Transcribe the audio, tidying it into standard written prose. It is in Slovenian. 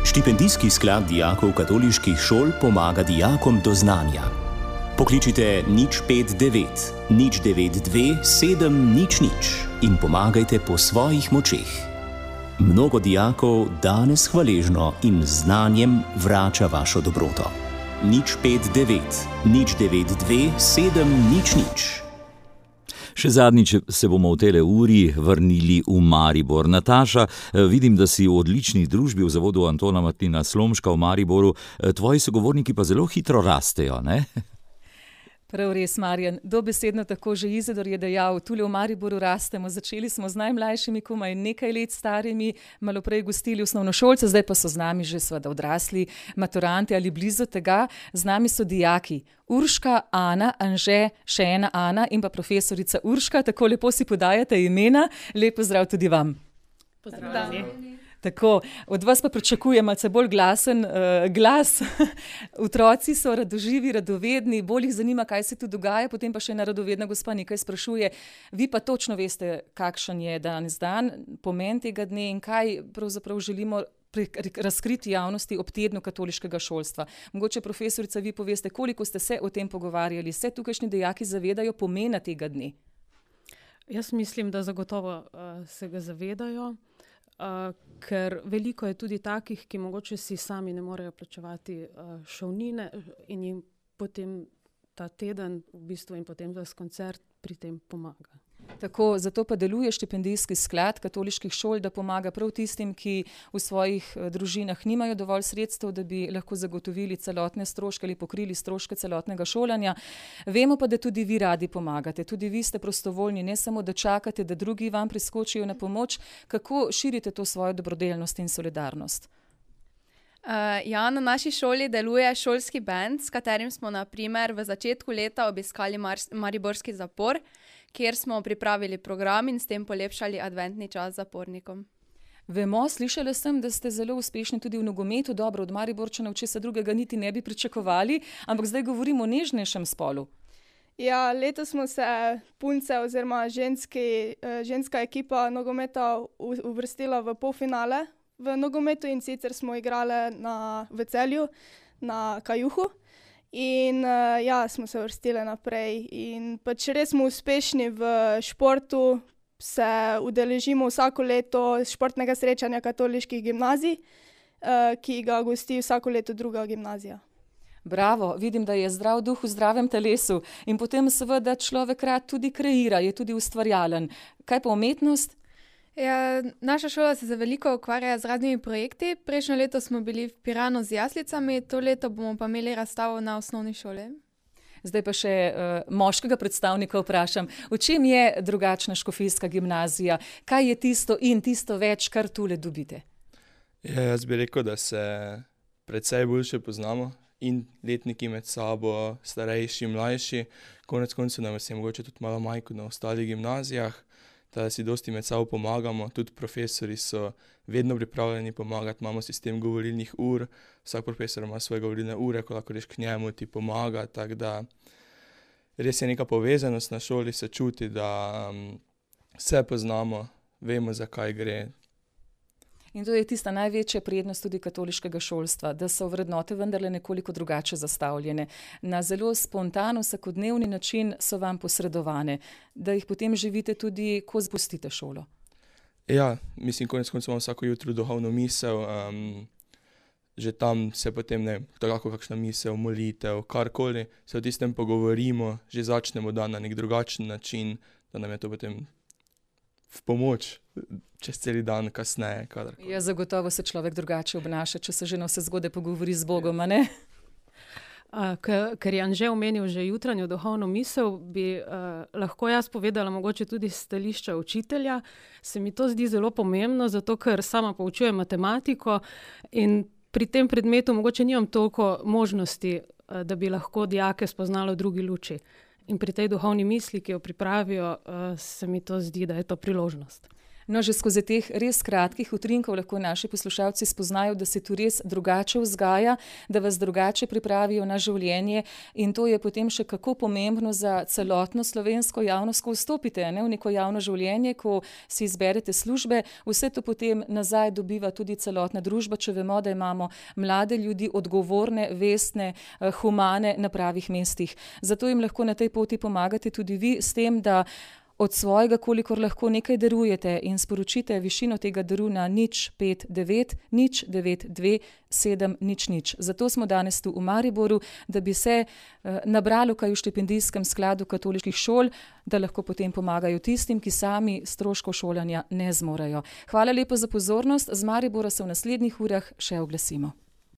Štipendijski sklad dijakov katoliških šol pomaga dijakom do znanja. Pokličite 059 092 700 in pomagajte po svojih močeh. Mnogo dijakov danes hvaležno in z znanjem vrača vašo dobroto. 059 092 700. Še zadnjič se bomo v tele uri vrnili v Maribor. Nataša, vidim, da si v odlični družbi v zavodu Antona Martina Slomška v Mariboru. Tvoji sogovorniki pa zelo hitro rastejo, ne? Prav res, Marjan. Dobesedno tako že Izidor je dejal, tule v Mariboru rastemo. Začeli smo z najmlajšimi, komaj nekaj let starimi, malo prej gostili osnovnošolce, zdaj pa so z nami že seveda odrasli maturanti ali blizu tega. Z nami so dijaki Urška, Ana, Anže, še ena Ana in pa profesorica Urška. Tako lepo si podajate imena. Lep pozdrav tudi vam. Pozdravljeni. Tako, od vas pa pričakujem malce bolj glasen glas. Otroci so radoživi, radovedni, bolj jih zanima, kaj se tu dogaja, potem pa še ena radovedna gospa nekaj sprašuje. Vi pa točno veste, kakšen je danes dan, pomen tega dne in kaj pravzaprav želimo razkriti javnosti ob tednu katoliškega šolstva. Mogoče, profesorica, vi poveste, koliko ste se o tem pogovarjali, se tukajšnji dijaki zavedajo pomena tega dne? Jaz mislim, da zagotovo se ga zavedajo. Ker veliko je tudi takih, ki mogoče si sami ne morejo plačevati šolnine in jim potem ta teden v bistvu in potem ves koncert pri tem pomaga. Tako, zato pa deluje štipendijski sklad katoliških šol, da pomaga prav tistim, ki v svojih družinah nimajo dovolj sredstev, da bi lahko zagotovili celotne stroške ali pokrili stroške celotnega šolanja. Vemo pa, da tudi vi radi pomagate. Tudi vi ste prostovoljni, ne samo da čakate, da drugi vam priskočijo na pomoč. Kako širite to svojo dobrodelnost in solidarnost? Ja, na naši šoli deluje šolski band, s katerim smo na primer v začetku leta obiskali mariborski zapor, kjer smo pripravili program in s tem polepšali adventni čas zapornikom. Vemo, slišala sem, da ste zelo uspešni tudi v nogometu. Dobro, od Mariborčanov česa drugega niti ne bi pričakovali, ampak zdaj govorimo o nežnejšem spolu. Ja, letos smo se punce oziroma ženska ekipa nogometa uvrstila v polfinale v nogometu in sicer smo igrali v Celju na Kajuhu. In ja, smo se vrstili naprej in pač res smo uspešni v športu, se udeležimo vsako leto športnega srečanja katoliških gimnazij, ki ga gosti vsako leto druga gimnazija. Bravo, vidim, da je zdrav duh v zdravem telesu in potem seveda človek rad tudi kreira, je tudi ustvarjalen. Kaj pa umetnost? Ja, naša šola se veliko ukvarja z raznimi projekti. Prejšnjo leto smo bili v Piranu z jaslicami, to leto bomo pa imeli razstavo na osnovni šoli. Zdaj pa še moškega predstavnika vprašam. V čem je drugačna škofijska gimnazija? Kaj je tisto in tisto več, kar tule dobite? Ja, jaz bi rekel, da se precej boljše poznamo in letniki med sabo, starejši, mlajši. Konec koncev nam je mogoče tudi malo manj kot na ostalih gimnazijah. Da si dosti med sabo pomagamo, tudi profesori so vedno pripravljeni pomagati, imamo sistem govorilnih ur, vsak profesor ima svoje govorilne ure, ko lahko greš k njemu, ti pomaga, tako da res je neka povezanost na šoli, se čuti, da se poznamo, vemo, za kaj gre. In to je tista največja prednost tudi katoliškega šolstva, da so vrednote vendarle nekoliko drugače zastavljene. Na zelo spontan, vsakodnevni način so vam posredovane, da jih potem živite tudi, ko zapustite šolo. Ja, mislim, konec koncev imamo vsako jutro duhovno misel, že tam se potem tako kakšna misel, molitev, karkoli, se o tistem pogovorimo, že začnemo dan na nek drugačen način, da nam je to potem v pomoč čez celi dan kasneje. Kadarkoli. Ja, zagotovo se človek drugače obnaša, če se že na vse zgode pogovori z Bogom, a ne? Ker je Anže omenil že jutranjo duhovno misel, bi lahko jaz povedala mogoče tudi stališča učitelja. Se mi to zdi zelo pomembno, zato ker sama poučujem matematiko in pri tem predmetu mogoče nimam toliko možnosti, da bi lahko dijake spoznalo v drugi luči. In pri tej duhovni misli, ki jo pripravijo, se mi to zdi, da je to priložnost. No, že skozi teh res kratkih utrinkov lahko naši poslušalci spoznajo, da se tu res drugače vzgaja, da vas drugače pripravijo na življenje in to je potem še kako pomembno za celotno slovensko javnost, ko vstopite v neko javno življenje, ko si izberete službe, vse to potem nazaj dobiva tudi celotna družba, če vemo, da imamo mlade ljudi, odgovorne, vestne, humane na pravih mestih. Zato jim lahko na tej poti pomagate tudi vi s tem, da od svojega, kolikor lahko nekaj darujete in sporočite višino tega daru na 059 092 700. Zato smo danes tu v Mariboru, da bi se nabralo kaj v štipendijskem skladu katoliških šol, da lahko potem pomagajo tistim, ki sami stroškov šolanja ne zmorejo. Hvala lepo za pozornost. Z Maribora se v naslednjih urah še oglasimo.